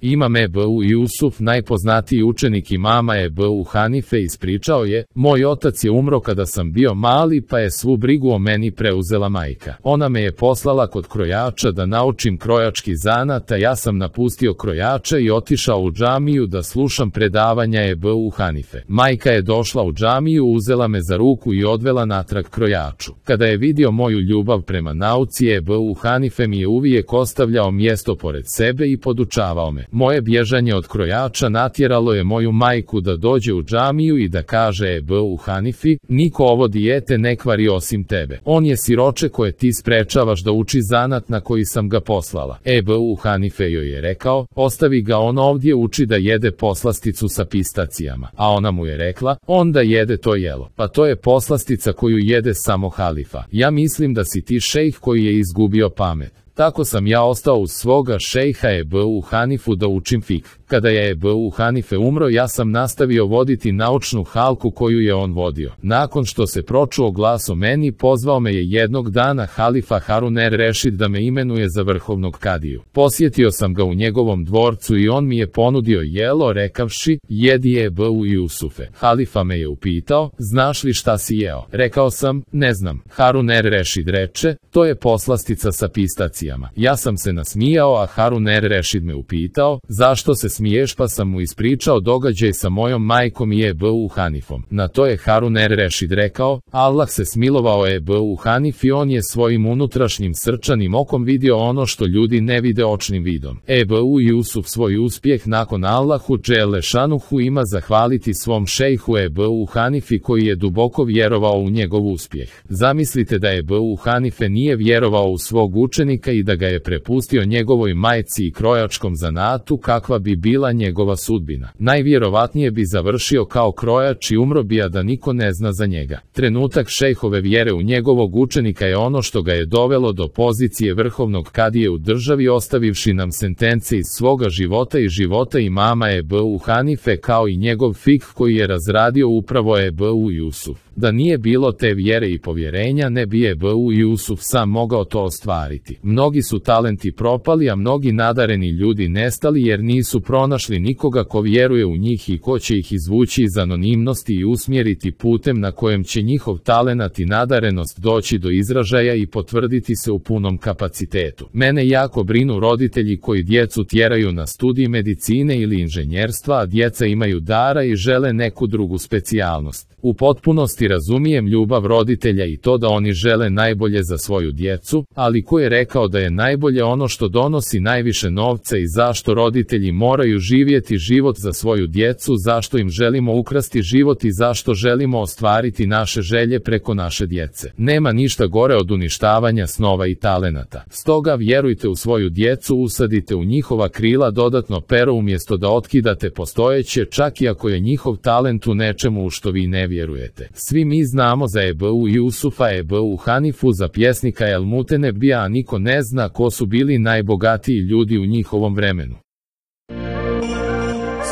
Imam Ebu Jusuf, najpoznatiji učenik imama Ebu Hanife, ispričao je: moj otac je umro kada sam bio mali, pa je svu brigu o meni preuzela majka. Ona me je poslala kod krojača da naučim krojački zanat, a ja sam napustio krojača i otišao u džamiju da slušam predavanja Ebu Hanife. Majka je došla u džamiju, uzela me za ruku i odvela natrag krojaču. Kada je vidio moju ljubav prema nauci, Ebu Hanife mi je uvijek ostavljao mjesto pored sebe i podučavao me. Moje bježanje od krojača natjeralo je moju majku da dođe u džamiju i da kaže Ebu Hanifi: niko ovo dijete ne kvari osim tebe. On je siroče koje ti sprečavaš da uči zanat na koji sam ga poslala. Ebu Hanife joj je rekao: ostavi ga, on ovdje uči da jede poslasticu sa pistacijama. A ona mu je rekla: onda jede to jelo. Pa to je poslastica koju jede samo halifa. Ja mislim da si ti šejh koji je izgubio pamet. Tako sam ja ostao uz svoga šejha Ebu Hanifu da učim fikh. Kada je Ebu Hanife umro, ja sam nastavio voditi naučnu halku koju je on vodio. Nakon što se pročuo glas o meni, pozvao me je jednog dana halifa Harun er-Rešid da me imenuje za vrhovnog kadiju. Posjetio sam ga u njegovom dvorcu i on mi je ponudio jelo, rekavši: jedi Ebu Jusufe. Halifa me je upitao: znaš li šta si jeo? Rekao sam: ne znam. Harun er-Rešid reče: to je poslastica sa pistacijama. Ja sam se nasmijao, a Harun er-Rešid me upitao: zašto se smiješ? Pa sam mu ispričao događaj sa mojom majkom i Ebu Hanifom. Na to je Harun er-Rešid rekao: Allah se smilovao Ebu Hanifi, on je svojim unutrašnjim srčanim okom vidio ono što ljudi ne vide očnim vidom. Ebu Jusuf svoj uspjeh nakon Allahu dželle šanuhu ima zahvaliti svom šejhu Ebu Hanifi koji je duboko vjerovao u njegov uspjeh. Zamislite da Ebu Hanife nije vjerovao u svog učenika i da ga je prepustio njegovoj majci i krojačkom zanatu, kakva bi bila njegova sudbina. Najvjerovatnije bi završio kao krojač i umro bi, a da niko ne zna za njega. Trenutak šejhove vjere u njegovog učenika je ono što ga je dovelo do pozicije vrhovnog kadije u državi, ostavivši nam sentence iz svoga života i života imama Ebu Hanife, kao i njegov fikh koji je razradio upravo Ebu Jusuf. Da nije bilo te vjere i povjerenja, ne bi Ebu Jusuf sam mogao to ostvariti. Mnogi su talenti propali, a mnogi nadareni ljudi nestali jer nisu pronašli nikoga ko vjeruje u njih i ko će ih izvući iz anonimnosti i usmjeriti putem na kojem će njihov talenat i nadarenost doći do izražaja i potvrditi se u punom kapacitetu. Mene jako brinu roditelji koji djecu tjeraju na studij medicine ili inženjerstva, a djeca imaju dara i žele neku drugu specijalnost. U potpunosti razumijem ljubav roditelja i to da oni žele najbolje za svoju djecu, ali ko je rekao da je najbolje ono što donosi najviše novca i zašto roditelji moraju živjeti život za svoju djecu, zašto im želimo ukrasti život i zašto želimo ostvariti naše želje preko naše djece. Nema ništa gore od uništavanja snova i talenata. Stoga vjerujte u svoju djecu, usadite u njihova krila dodatno pero umjesto da otkidate postojeće, čak i ako je njihov talent u nečemu u što vi ne vjerujete. Svi mi znamo za Ebu Jusufa, Ebu Hanifu, za pjesnika El Mutenebija, a niko ne zna ko su bili najbogatiji ljudi u njihovom vremenu.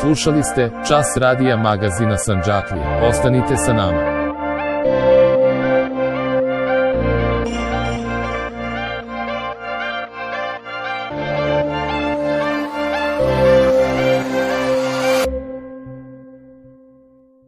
Slušali ste Čas radija magazina Sandžaklija. Ostanite sa nama.